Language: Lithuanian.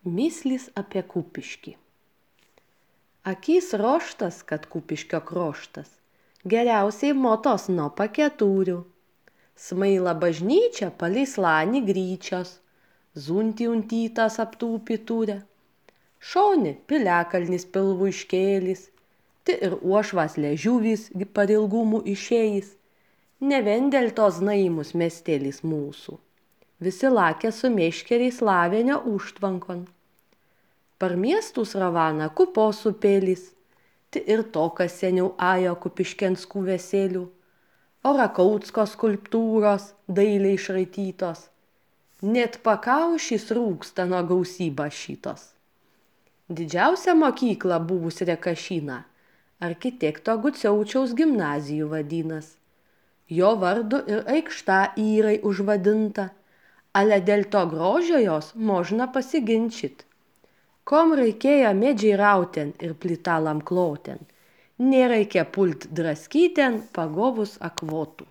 Myslys apie Kupiškį. Akys roštas, kad Kupiškio kroštas, geriausiai motos nuo paketurių. Smaila bažnyčia palei slanį gryčios, zuntį untytas aptūpi turė. Šoni piliakalnis pilvų iškėlis, ti ir uošvas ležiuvis parilgumų išėjis. Ne vien dėl tos naimus miestelis mūsų. Visi lakė su meškeriais Lavenio užtvankon. Par miestus ravana Kupos upėlis, ti ir to, kas seniau ajo Kupiškenskų veselių, o Rakautsko skulptūros dailiai išraitytos. Net pakaušys rūksta nuo gausybą šitos. Didžiausia mokykla buvus Rekašyna, architekto Guciaučiaus gimnazijų vadinas. Jo vardu ir aikšta įrai užvadinta, ale dėl to grožio jos možna pasiginčyt. Kom reikėjo medžiai rauten ir plytalam kloten, nereikia pult draskyten pagovus akvotų.